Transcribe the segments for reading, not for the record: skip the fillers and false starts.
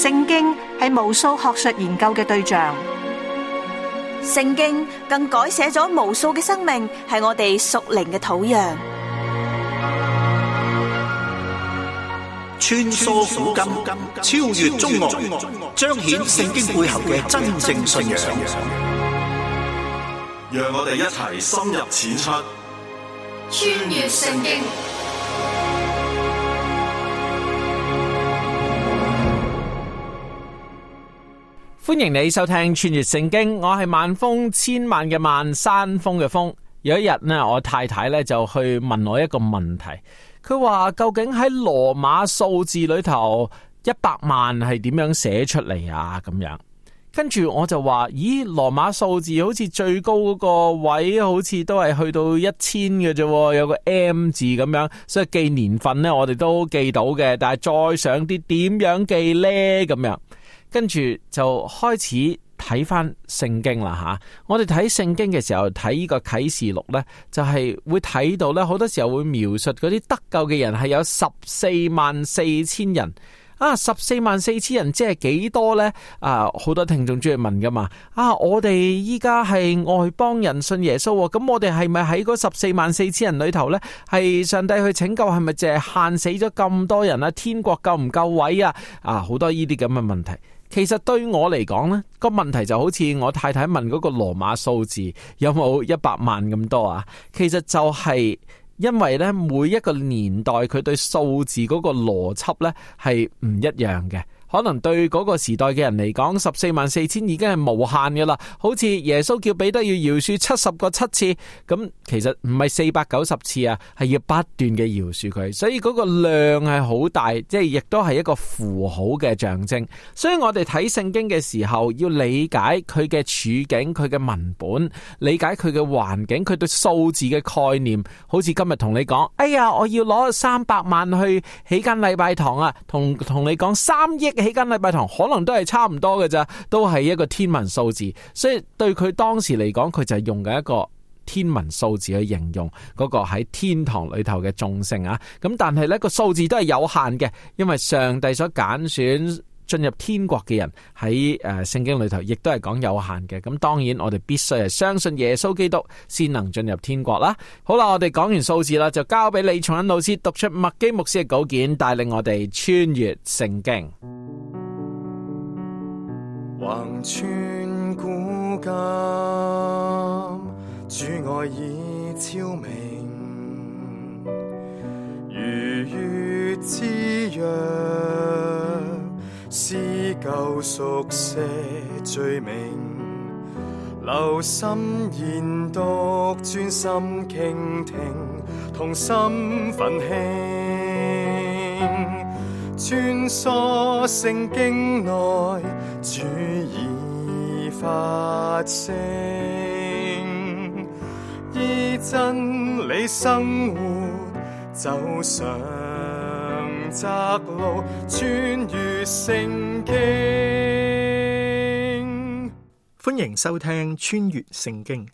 聖經係無數學術研究嘅對象，聖經更改寫咗無數嘅生命，係我哋屬靈嘅土壤。穿梭古今，超越中外，彰顯聖經背後嘅真正信仰。讓我哋一齊深入淺出，穿越聖經。歡迎你收聽穿越聖經，我係萬峰，千萬嘅萬，山峰嘅峰。有一日呢，我太太呢就去問我一個問題，佢話究竟喺羅馬數字裏頭100萬係點樣寫出嚟啊？咁樣，跟住我就話，咦，羅馬數字好似最高嗰個位好似都係去到1000嘅啫，有個 M 字咁樣，所以記年份呢我哋都記到嘅，但係再上啲點樣記呢？咁樣。跟住就開始睇翻聖經啦吓，我哋睇聖經嘅時候睇呢個啟示錄呢，就係會睇到呢，好多時候會描述嗰啲得救嘅人係有144000人啊，144000人即係幾多呢？啊，好多聽眾中意問噶嘛，啊，我哋依家係外邦人信耶穌，咁我哋係咪喺嗰144000人裏頭呢？係上帝去拯救，係咪淨係限死咗咁多人啊？天國夠唔夠位啊？啊，好多呢啲咁嘅問題。其實對我嚟講呢個問題就好似我太太問嗰個羅馬數字有冇100萬咁多啊？其實就係因為呢每一個年代佢對數字嗰個邏輯呢係唔一樣嘅。可能對嗰個時代嘅人嚟講，144000已經係無限嘅啦。好似耶穌叫彼得要饒恕70個7次，咁其實唔係490次啊，係要不斷嘅饒恕佢。所以嗰個量係好大，即係亦都係一個符號嘅象徵。所以我哋睇聖經嘅時候，要理解佢嘅處境、佢嘅文本，理解佢嘅環境，佢對數字嘅概念。好似今日同你講，哎呀，我要攞300萬去起間禮拜堂啊，同你講3億。起間禮拜堂可能都係差唔多嘅咋，都係一個天文數字，所以對佢當時嚟講，佢就係用緊一個天文數字去形容嗰個喺天堂裏頭嘅眾聖啊。咁但係呢個數字都係有限嘅，因為上帝所揀選進入天國嘅人喺聖經裏頭亦都係講有限嘅。咁當然我哋必須係相信耶穌基督先能進入天國啦。好啦，我哋講完數字啦，就交俾李重恩老師讀出麥基牧師嘅稿件，帶領我哋穿越聖經。橫穿古今，主愛已昭明，如月之約，撕舊熟寫罪名，留心研讀，專心傾聽，同心奮興，穿梭聖經內，主已發聲，依真理生活，走上窄路，穿越聖經。歡迎收聽穿越聖經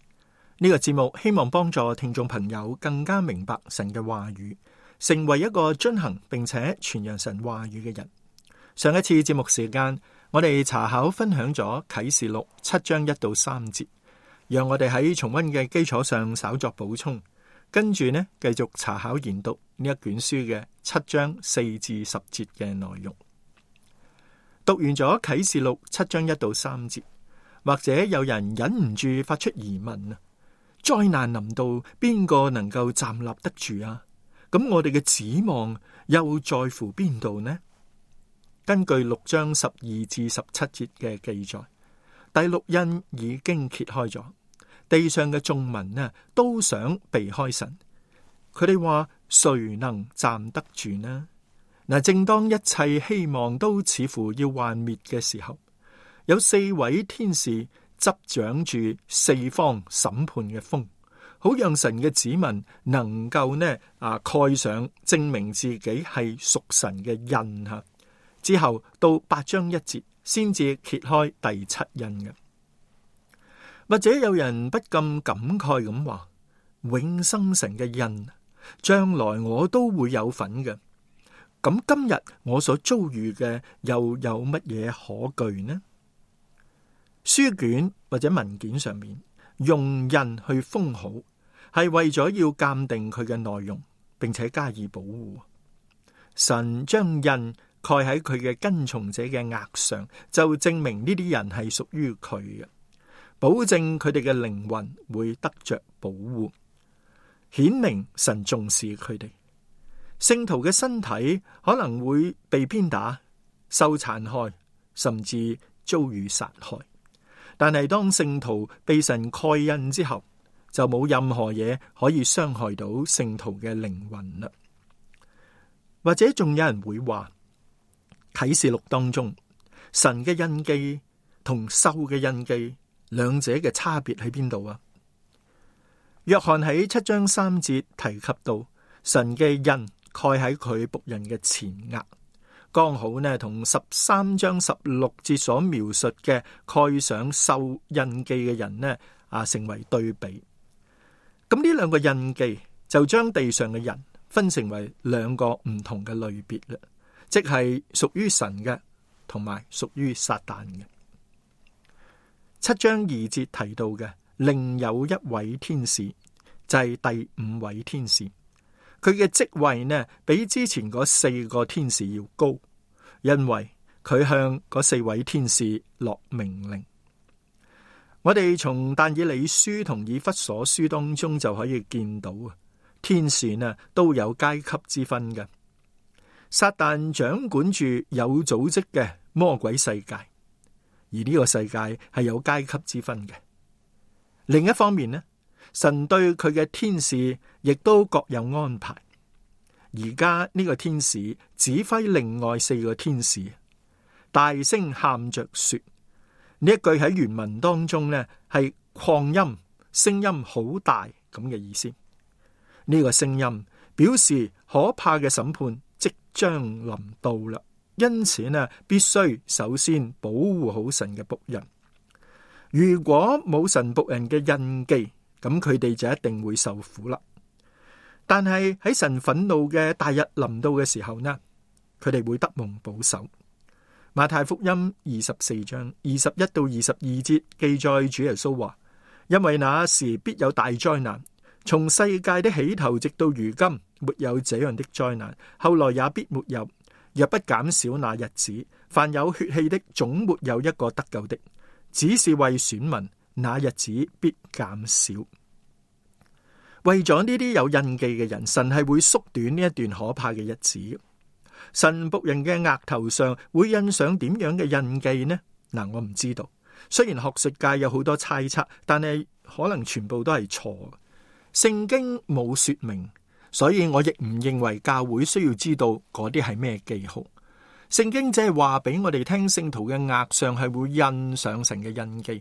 呢個節目，希望幫助聽眾朋友更加明白神嘅話語，成為一個遵行並且傳揚神話語嘅人。上一次節目時間，我哋查考分享咗啟示錄7章1到3節，讓我哋喺重溫嘅基礎上稍作補充，跟住呢繼續查考研讀呢一卷書嘅7章4至10節嘅內容。讀完咗啟示錄7章1到3節，或者有人忍唔住發出疑問啊，災難臨到，邊個能夠站立得住啊？咁我哋嘅指望又在乎邊度呢？根據6章12至17節嘅記載，第六印已經揭開咗，地上嘅眾民呢都想避開神，佢哋話誰能站得住呢？嗱，正當一切希望都似乎要幻滅嘅時候，有4位天使執掌住4方審判嘅風，好讓神嘅子民能夠蓋上證明自己係屬神嘅印吓。之後到8章1節先至揭開第7印嘅。或者有人不禁感慨咁話，永生神嘅印，將來我都會有份嘅。咁今日我所遭遇嘅又有乜嘢可懼呢？書卷或者文件上面用印去封好，係為咗要鑒定佢嘅內容，並且加以保護。神將印蓋喺佢嘅跟從者嘅額上，就證明呢啲人係屬於佢嘅，保證佢哋嘅靈魂會得着保護，顯明神重視佢哋。聖徒嘅身體可能會被鞭打、受殘害，甚至遭遇殺害。但係當聖徒被神蓋印之後，就冇任何嘢可以傷害到聖徒嘅靈魂啦。或者仲有人會話，啟示錄當中神嘅印記同獸嘅印記兩者嘅差別喺邊度啊？約翰喺7章3節提及到神嘅印蓋喺佢僕人嘅前額，剛好呢同13章16節所描述嘅蓋上獸印記嘅人呢成為對比。咁呢兩個印記就將地上嘅人分成為兩個唔同嘅類別啦，即係屬於神嘅同埋屬於撒旦嘅。7章2節提到嘅另有一位天使，就係第5位天使，佢嘅職位呢比之前嗰4個天使要高，因為佢向嗰4位天使落命令。我哋從但以理書同以弗所書當中就可以見到天使呢都有階級之分嘅。撒旦掌管住有組織嘅魔鬼世界，而呢個世界係有階級之分嘅。另一方面呢，神對佢嘅天使亦都各有安排。而家呢個天使指揮另外4個天使，大聲喊着說，呢一句喺原文當中呢係擴音，聲音好大咁嘅意思。呢個聲音表示可怕嘅審判即將臨到啦，因此呢必須首先保護好神嘅僕人。如果冇神僕人嘅印記，咁佢哋就一定會受苦啦。但係喺神憤怒嘅大日臨到嘅時候呢，佢哋會得蒙保守。馬太福音24章21到22節記載主耶穌話，因為那時必有大災難，從世界的起頭直到如今，沒有這樣的災難，後來也必沒有。若不減少那日子，凡有血氣的總沒有一個得救的，只是為選民，那日子必減少。為咗呢啲有印記嘅人，神係會縮短呢一段可怕嘅日子。神僕人嘅額頭上會印上點樣嘅印記呢？我唔知道。雖然學術界有好多猜測，但係可能全部都係錯。聖經冇說明，所以我亦唔認為教會需要知道嗰啲係咩記號。聖經只係話俾我哋聽，聖徒嘅額上係會印上神嘅印記。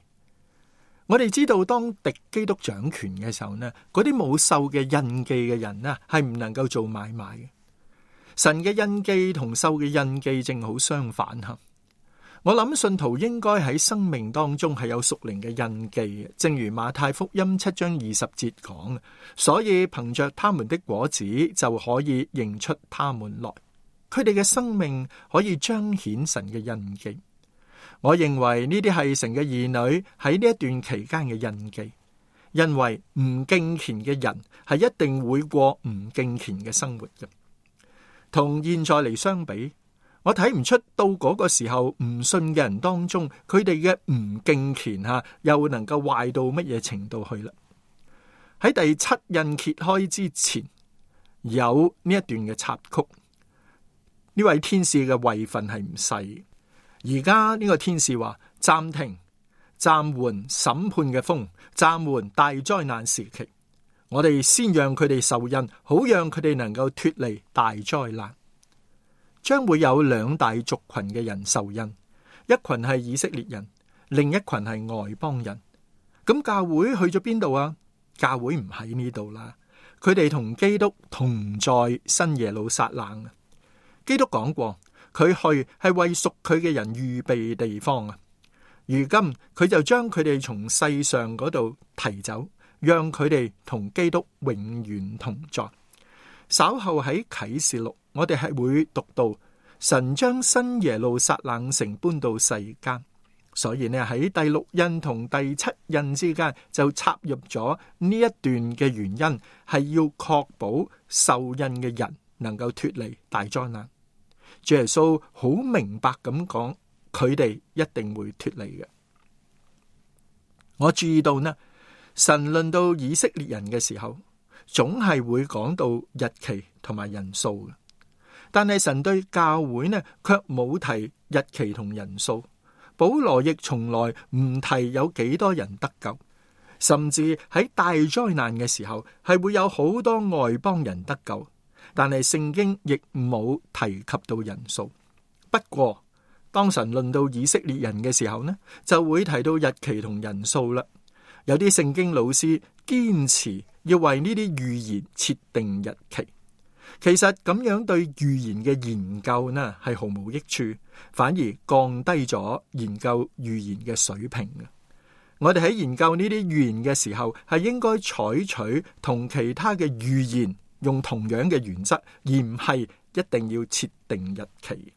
我哋知道當敵基督掌權嘅時候呢，嗰啲冇獸嘅印記嘅人呢，係唔能夠做買賣嘅。神嘅印記同獸嘅印記正好相反吓。我諗信徒應該喺生命當中係有屬靈嘅印記嘅，正如馬太福音7章20節講，所以憑着他們的果子就可以認出他們來。佢哋嘅生命可以彰顯神嘅印記。我認為呢啲係神嘅兒女喺呢一段期間嘅印記，因為唔敬虔嘅人係一定會過唔敬虔嘅生活嘅。同現在嚟相比，我睇唔出到嗰個時候唔信嘅人當中，佢哋嘅唔敬虔又能夠壞到乜嘢程度去啦。喺第7印揭開之前，有呢一段嘅插曲。呢位天使嘅位份係唔細。而家呢個天使話暫停、暫緩審判嘅風，暫緩大災難時期。我哋先讓佢哋受印，好讓佢哋能夠脫離大災難。將會有2大族群嘅人受印，一群係以色列人，另一群係外邦人。咁教會去咗邊度啊？教會唔喺呢度啦，佢哋同基督同在新耶路撒冷啊。基督講過，佢去係為屬佢嘅人預備地方啊。如今佢就將佢哋從世上嗰度提走，讓佢哋同基督永遠同在。稍後喺啟示錄，我哋係會讀到神將新耶路撒冷城搬到世間，所以呢喺第六印同第七印之間就插入咗呢一段嘅原因，係要確保受印嘅人能夠脫離大災難。主耶穌好明白咁講，佢哋一定會脫離嘅。我注意到呢，神論到以色列人嘅時候，總係會講到日期同埋人數嘅，但係神對教會呢，卻冇提日期同人數。保羅亦從來唔提有幾多人得救，甚至喺大災難嘅時候係會有好多外邦人得救，但係聖經亦冇提及到人數。不過當神論到以色列人嘅時候呢，就會提到日期同人數啦。有啲聖經老師堅持要為呢啲預言設定日期，其實咁樣對預言嘅研究呢係毫無益處，反而降低咗研究預言嘅水平嘅。我哋喺研究呢啲預言嘅時候，係應該採取同其他嘅預言用同樣嘅原則，而唔係一定要設定日期。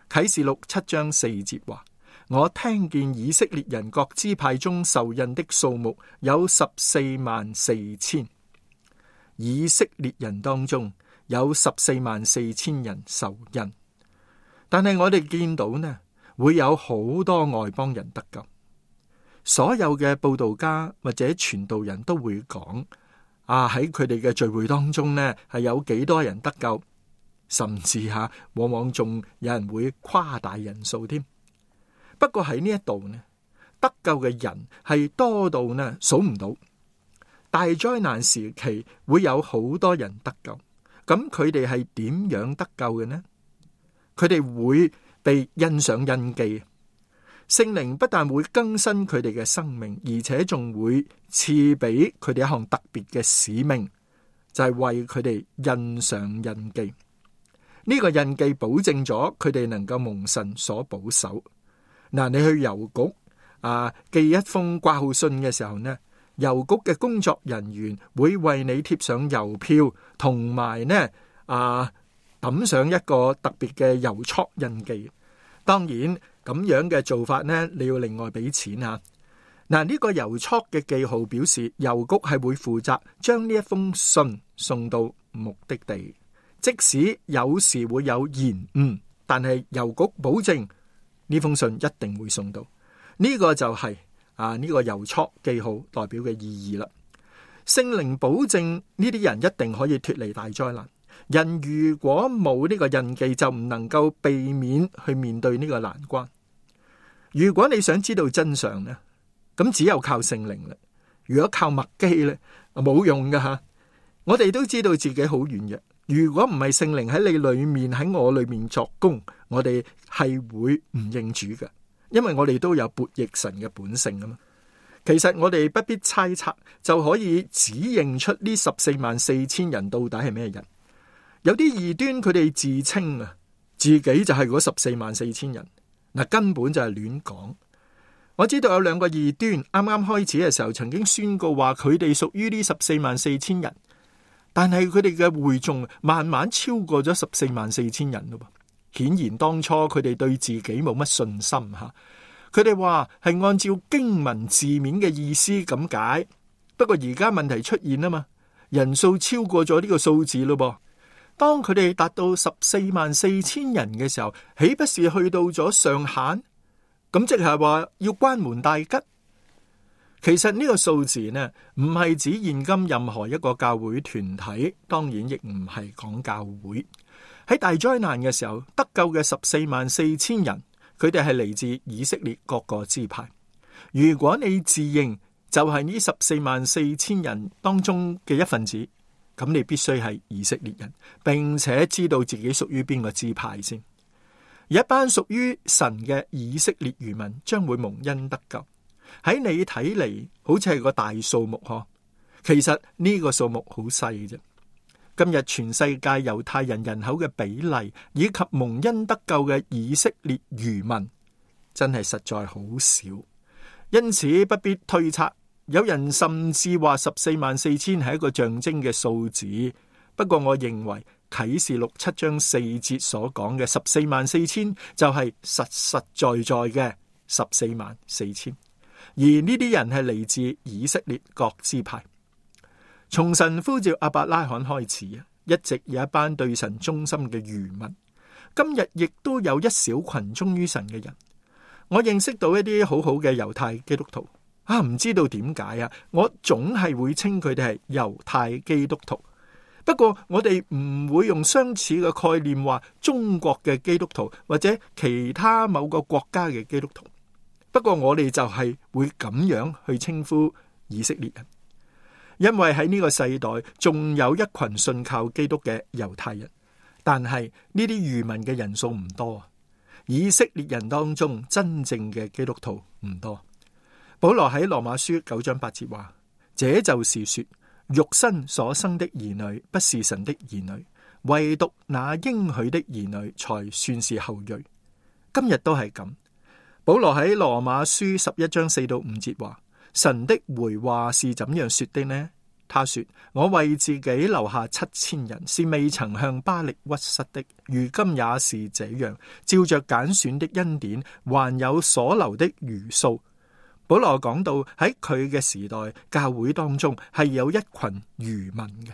啟示錄7章4節話：我聽見以色列人各支派中受印的數目有144000，以色列人當中有144000人受印。但係我哋見到呢，會有好多外邦人得救。所有嘅佈道家或者傳道人都會講，喺佢哋嘅聚會當中呢，係有幾多人得救，甚至往往仲有人會誇大人數添。不過喺呢一度呢，得救嘅人係多到呢數唔到。大災難時期會有好多人得救，咁佢哋係點樣得救嘅呢？佢哋會被印上印記，聖靈不但會更新佢哋嘅生命，而且仲會賜俾佢哋一項特別嘅使命，就係為佢哋印上印記。呢個印記保證咗佢哋能夠蒙神所保守。嗱，你去郵局寄一封掛號信嘅時候呢，郵局嘅工作人員會為你貼上郵票，同埋呢抌上一個特別嘅郵戳印記。當然咁樣嘅做法呢，你要另外俾錢啊。嗱，呢個郵戳嘅記號表示郵局係會負責將呢一封信送到目的地，即使有時會有延誤，但係郵局保證呢封信一定會送到。呢個就係呢個郵戳記號代表嘅意義啦。聖靈保證呢啲人一定可以脫離大災難。人如果冇呢個印記，就唔能夠避免去面對呢個難關。如果你想知道真相呢，咁只有靠聖靈啦。如果靠麥基呢，冇用噶吓。我哋都知道自己好軟弱。如果唔係聖靈喺你裏面，喺我裏面作工，我哋係會唔認主嘅，因為我哋都有悖逆神嘅本性啊嘛。其實我哋不必猜測就可以指認出呢144000人到底係咩人。有啲異端佢哋自稱自己就係嗰144000人，根本就係亂講。我知道有兩個異端啱啱開始嘅時候曾經宣告話佢哋屬於呢144000人，但係佢哋嘅會眾慢慢超過咗144000人咯。顯然當初佢哋對自己冇乜信心吓，佢哋話係按照經文字面嘅意思咁解。不過而家問題出現啊嘛，人數超過咗呢個數字咯噃。當佢哋達到144000人嘅時候，豈不是去到咗上限？咁即係話要關門大吉。其實呢個數字呢，唔係指現今任何一個教會團體，當然亦唔係講教會。喺大災難嘅時候，得救嘅144000人，佢哋係嚟自以色列各個支派。如果你自認就係呢144000人當中嘅一份子，咁你必須係以色列人，並且知道自己屬於邊個支派先。一班屬於神嘅以色列餘民將會蒙恩得救。喺你睇嚟好似係個大數目嗬，其實呢個數目好細啫。今日全世界猶太人人口嘅比例以及蒙恩得救嘅以色列餘民真係實在好少，因此不必推測。有人甚至話144000係一個象徵嘅數字，不過我認為啟示錄7章4節所講嘅144000就係實實在在嘅144000，而呢啲人係嚟自以色列各支派。從神呼召亞伯拉罕開始啊，一直有一班對神忠心嘅餘民，今日亦都有一小群忠於神嘅人。我認識到一啲好好嘅猶太基督徒啊，唔知道點解啊，我總係會稱佢哋係猶太基督徒。不過我哋唔會用相似嘅概念話中國嘅基督徒或者其他某個國家嘅基督徒。不過我哋就係會咁樣去稱呼以色列人，因為喺呢個世代仲有一群信靠基督嘅猶太人，但係呢啲餘民嘅人數唔多。以色列人當中真正嘅基督徒唔多。保羅喺羅馬書9章8節話：這就是說，肉身所生的兒女不是神的兒女，唯獨那應許的兒女才算是後裔。今日都係咁。保羅喺羅馬書11章4到5節話：神的回話是怎樣說的呢？他說：我為自己留下7000人，是未曾向巴力屈膝的，如今也是這樣，照着揀選的恩典，還有所留的餘數。保羅講到喺佢嘅時代，教會當中係有一群餘民嘅。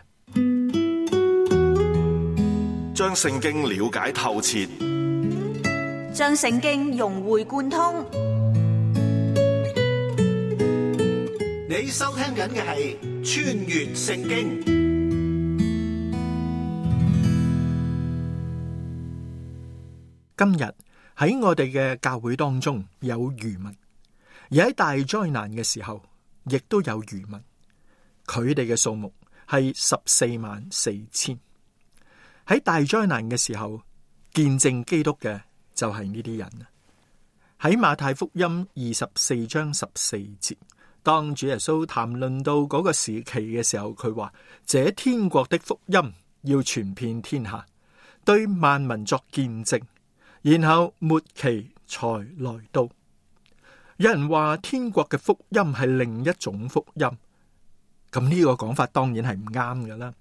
將聖經了解透徹，將聖經融會貫通。你收聽緊嘅係穿越聖經。今日喺我哋嘅教會當中有餘民，而喺大災難嘅時候亦都有餘民，佢哋嘅數目係144000。喺大災難嘅時候，見證基督嘅就係呢啲人。喺馬太福音24章14節，當主耶穌談論到嗰個時期嘅時候，佢話：這天國的福音要傳遍天下，對萬民作見證，然後末期才來到。有人話天國嘅福音係另一種福音，咁呢個講法當然係唔啱㗎啦。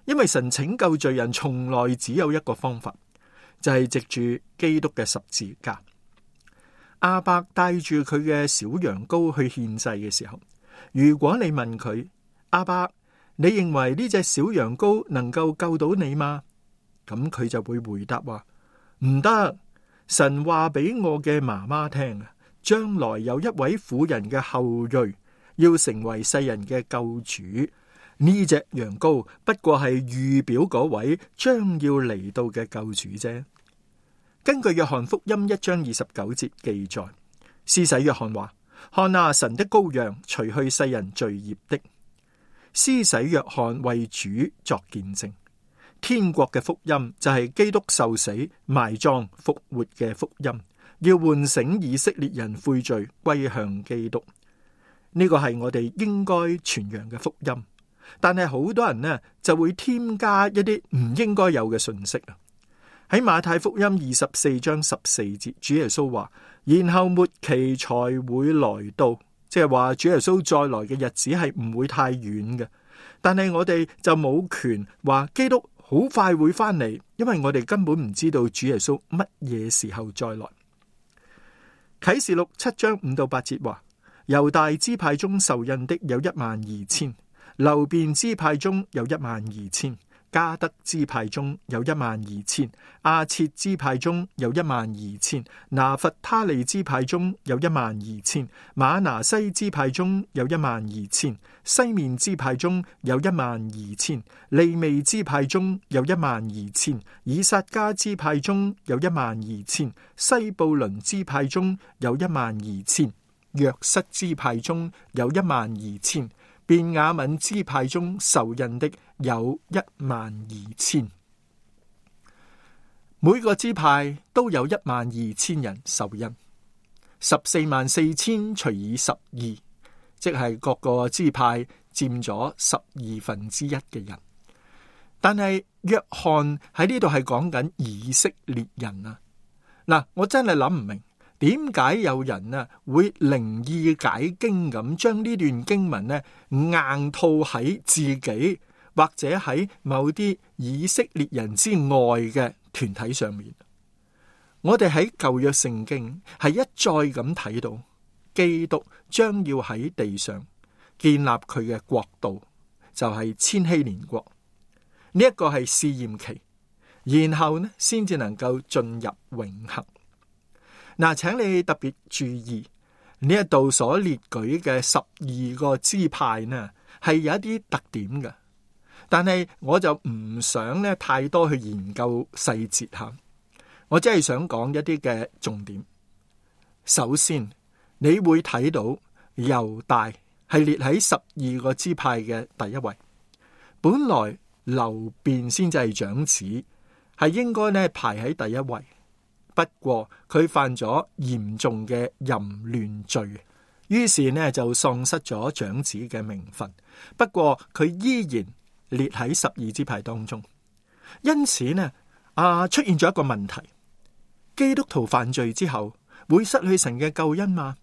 因為神拯救罪人從來只有一個方法，就係藉住基督嘅十字架。亞伯帶住佢嘅小羊羔去獻祭嘅時候，如果你問佢：亞伯，你認為呢隻小羊羔能夠救到你嗎？咁佢就會回答話：唔得。神話俾我嘅媽媽聽啊，將來有一位婦人嘅後裔要成為世人嘅救主。呢隻羊羔不過係預表嗰位將要嚟到嘅救主啫。根據約翰福音1章29節記載，施洗約翰話：看啊，神的羔羊，除去世人罪孽的。施洗約翰為主作見證，天國嘅福音就係基督受死、埋葬、復活嘅福音，要喚醒以色列人悔罪歸向基督。呢個係我哋應該傳揚嘅福音。但係好多人呢就會添加一啲唔應該有嘅信息啊！喺馬太福音24章14節，主耶穌話：然後末期才會來到，即係話主耶穌再來嘅日子係唔會太遠嘅。但係我哋就冇權話基督好快會翻嚟，因為我哋根本唔知道主耶穌乜嘢時候再來。啟示錄7章5到8節話：猶大支派中受印的有12000。流便支派中有12000，加德支派中有12000，亞設支派中有12000，拿弗他利支派中有12000，馬拿西支派中有12000，西面支派中有12000，利未支派中有12000，以撒迦支派中有12000，西布倫支派中有12000，約瑟支派中有12000。便雅憫支派中受印的有12000，每個支派都有12000人受印，144000除以12，即係各個支派佔咗1/12嘅人。但係約翰喺呢度係講緊以色列人啊！嗱，我真係諗唔明。點解有人啊會靈意解經咁將呢段經文呢硬套喺自己或者喺某啲以色列人之外嘅團體上面。我哋喺舊約聖經係一再咁睇到基督將要喺地上建立佢嘅國度，就係千禧年國。呢一個係試驗期，然後呢先至能夠進入永恆。嗱，請你特別注意呢一度所列舉嘅12個支派呢，係有一啲特點嘅，但係我就唔想呢太多去研究細節吓，我只係想講一啲嘅重點。首先，你會睇到猶大係列喺12個支派嘅第一位，本來流便先至係長子，係應該呢排喺第一位。不過佢犯咗嚴重嘅淫亂罪，於是呢就喪失咗長子嘅名分。不過佢依然列喺12支派當中。因此呢，出現咗一個問題：基督徒犯罪之後會失去神嘅救恩嗎？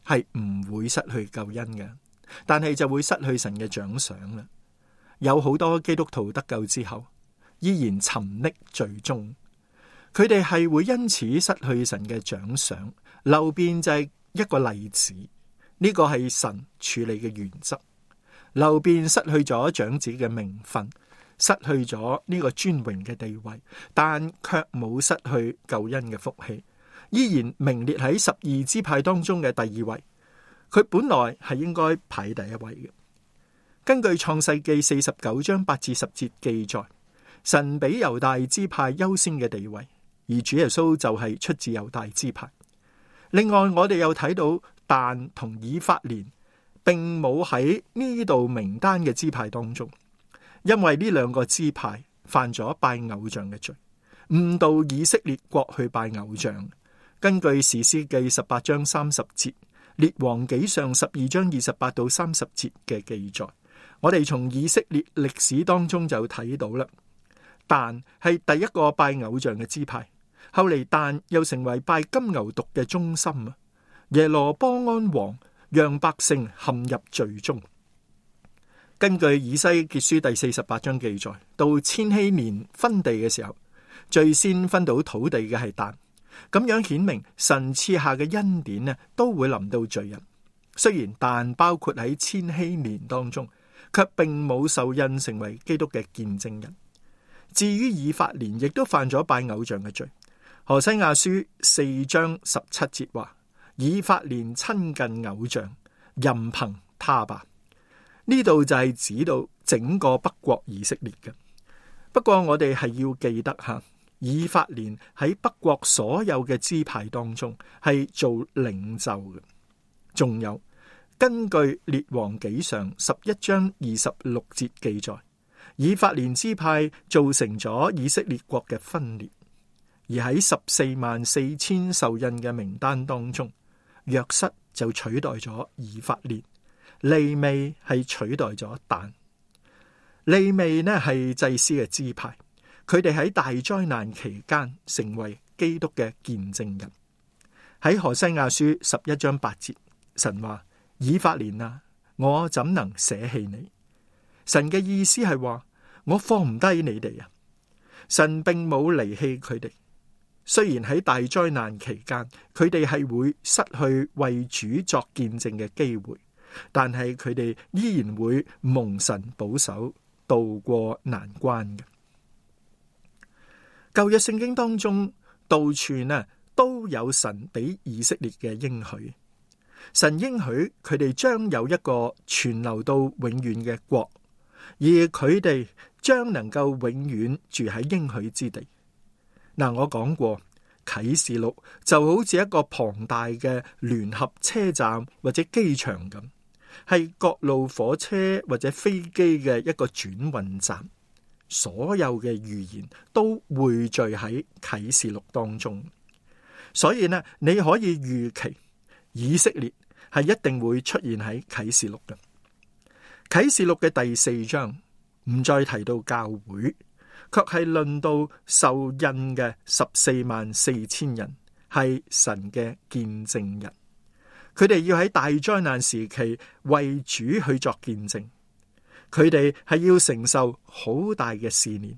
係唔會失去救恩嘅，但係就會失去神嘅獎賞啦。有好多基督徒得救之後依然沉溺罪中。佢哋係會因此失去神嘅獎賞。流便就係一個例子，呢個係神處理嘅原則。流便失去咗長子嘅名分，失去咗呢個尊榮嘅地位，但卻冇失去救恩嘅福氣，依然名列喺12支派當中嘅第2位。佢本來係應該排第一位嘅。根據創世記49章8至10節記載，神俾猶大支派優先嘅地位。而主耶穌就係出自猶大支派。另外，我哋又睇到但同以法蓮並冇喺呢度名單嘅支派當中，因為呢兩個支派犯咗拜偶像嘅罪，誤導以色列國去拜偶像。根據士師記18章30節、列王紀上12章28到30節嘅記載，我哋從以色列歷史當中就睇到啦。但係第一個拜偶像嘅支派。後嚟但又成為拜金牛犢嘅中心啊！耶羅波安王讓百姓陷入罪中。根據以西結書第48章記載，到千禧年分地嘅時候，最先分到土地嘅係但，咁樣顯明神賜下嘅恩典呢，都會臨到罪人。雖然但包括喺千禧年當中，卻並冇受印成為基督嘅見證人。至於以法蓮，亦都犯咗拜偶像嘅罪。何西亞書4章17節話：以法蓮親近偶像，任憑他吧。呢度就係指到整個北國以色列嘅。不過我哋係要記得吓，以法蓮喺北國所有嘅支派當中係做領袖嘅。仲有，根據列王紀上11章26節記載，以法蓮支派造成咗以色列國嘅分裂。而喺144000受印嘅名單當中，約瑟就取代咗以法蓮，利未係取代咗但。利未呢係祭司嘅支派，佢哋喺大災難期間成為基督嘅見證人。喺何西亞書11章8節，神話：以法蓮啊，我怎能捨棄你？神嘅意思係話，我放唔低你哋啊！神並冇離棄佢哋。雖然喺大災難期間，佢哋係會失去為主作見證嘅機會，但係佢哋依然會蒙神保守，渡過難關嘅。舊約聖經當中，到處呢都有神俾以色列嘅應許。神應許佢哋將有一個存留到永遠嘅國，而佢哋將能夠永遠住喺應許之地。嗱，我講過啟示錄就好似一個龐大嘅聯合車站或者機場咁，係各路火車或者飛機嘅一個轉運站。所有嘅預言都匯聚喺啟示錄當中，所以呢，你可以預期以色列係一定會出現喺啟示錄嘅。啟示錄嘅第4章唔再提到教會，卻係論到受印嘅144000人係神嘅見證人，佢哋要喺大災難時期為主去作見證。佢哋係要承受好大嘅試煉，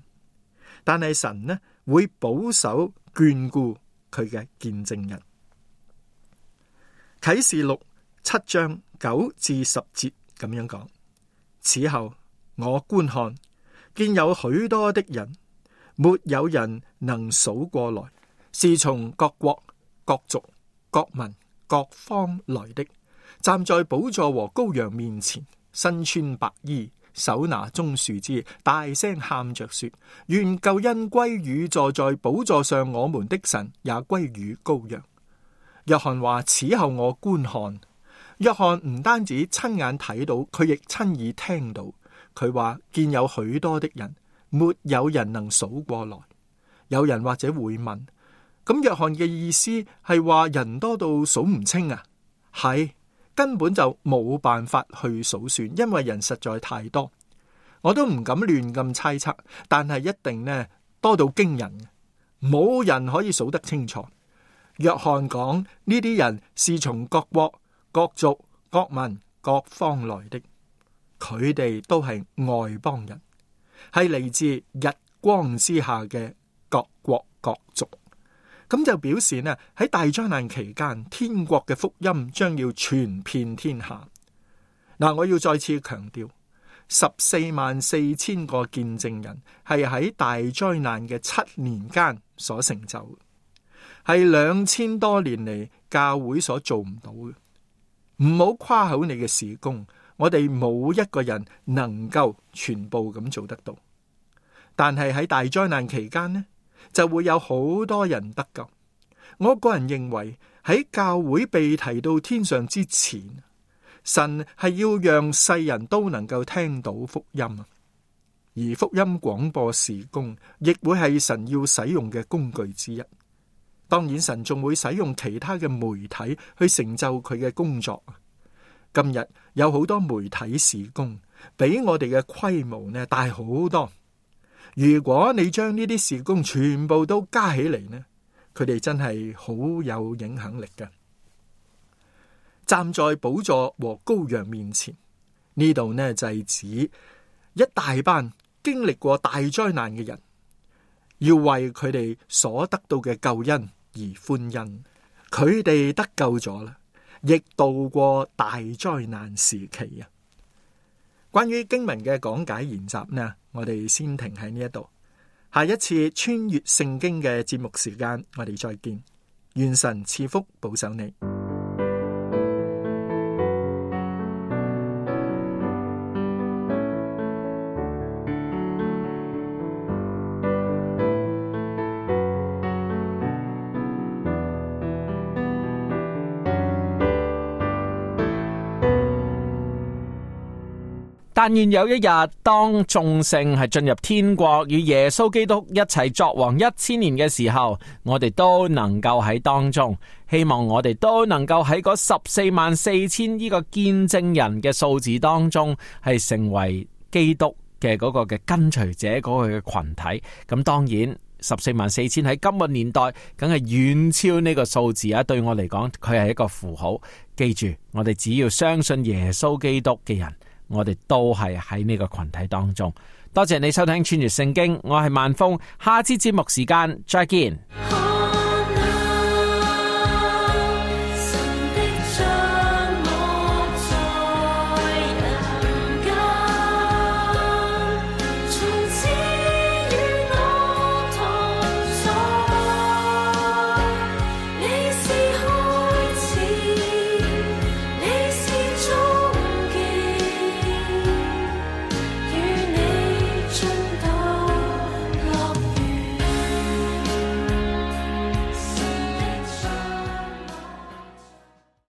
但係神呢會保守眷顧佢嘅見證人。啟示錄7章9至10節咁樣講：此後我觀看，見有許多的人，沒有人能數過來，是從各國、各族、各民、各方來的，站在寶座和羔羊面前，身穿白衣，手拿棕樹枝，大聲喊着說：願救恩歸於坐在寶座上我們的神，也歸於羔羊。約翰話：此後我觀看。約翰唔單止親眼睇到，佢亦親耳聽到。佢話見有許多的人，沒有人能數過來。有人或者會問：咁約翰嘅意思係話人多到數唔清啊？係，根本就冇辦法去數算，因為人實在太多。我都唔敢亂咁猜測，但係一定呢多到驚人，冇人可以數得清楚。約翰講呢啲人是從各國、各族、各民、各方來的，佢哋都係外邦人，係嚟自日光之下嘅各國各族。咁就表示呢喺大災難期間，天國嘅福音將要傳遍天下。嗱，我要再次強調，144000個見證人係喺大災難嘅7年間所成就，係2000多年嚟教會所做唔到嘅。唔好誇口你嘅事工，我哋冇一個人能夠全部咁做得到。但係喺大災難期間呢，就會有好多人得救。我個人認為喺教會被提到天上之前，神係要讓世人都能夠聽到福音啊。而福音廣播事工亦會係神要使用嘅工具之一。當然神仲會使用其他嘅媒體去成就佢嘅工作。今日有好多媒體事工比我哋嘅規模呢大好多。如果你將呢啲事工全部都加起嚟呢，佢哋真係好有影響力嘅。站在寶座和羔羊面前，呢度呢就係指一大班經歷過大災難嘅人，要為佢哋所得到嘅救恩而歡欣。佢哋得救咗啦，亦度過大災難時期啊！關於經文嘅講解研習呢，我哋先停喺呢一度。下一次穿越聖經嘅節目時間，我哋再見。願神賜福保守你。但願有一日，當眾聖係進入天國，與耶穌基督一齊作王1000年嘅時候，我哋都能夠喺當中。希望我哋都能夠喺嗰144000呢個見證人嘅數字當中，係成為基督嘅嗰個嘅跟隨者嗰個嘅群體。咁當然144000喺今個年代，梗係遠超呢個數字啊！對我嚟講，佢係一個符號。記住，我哋只要相信耶穌基督嘅人，我哋都係喺呢個群體當中。多謝你收聽穿越聖經，我係萬峰，下次節目時間再見。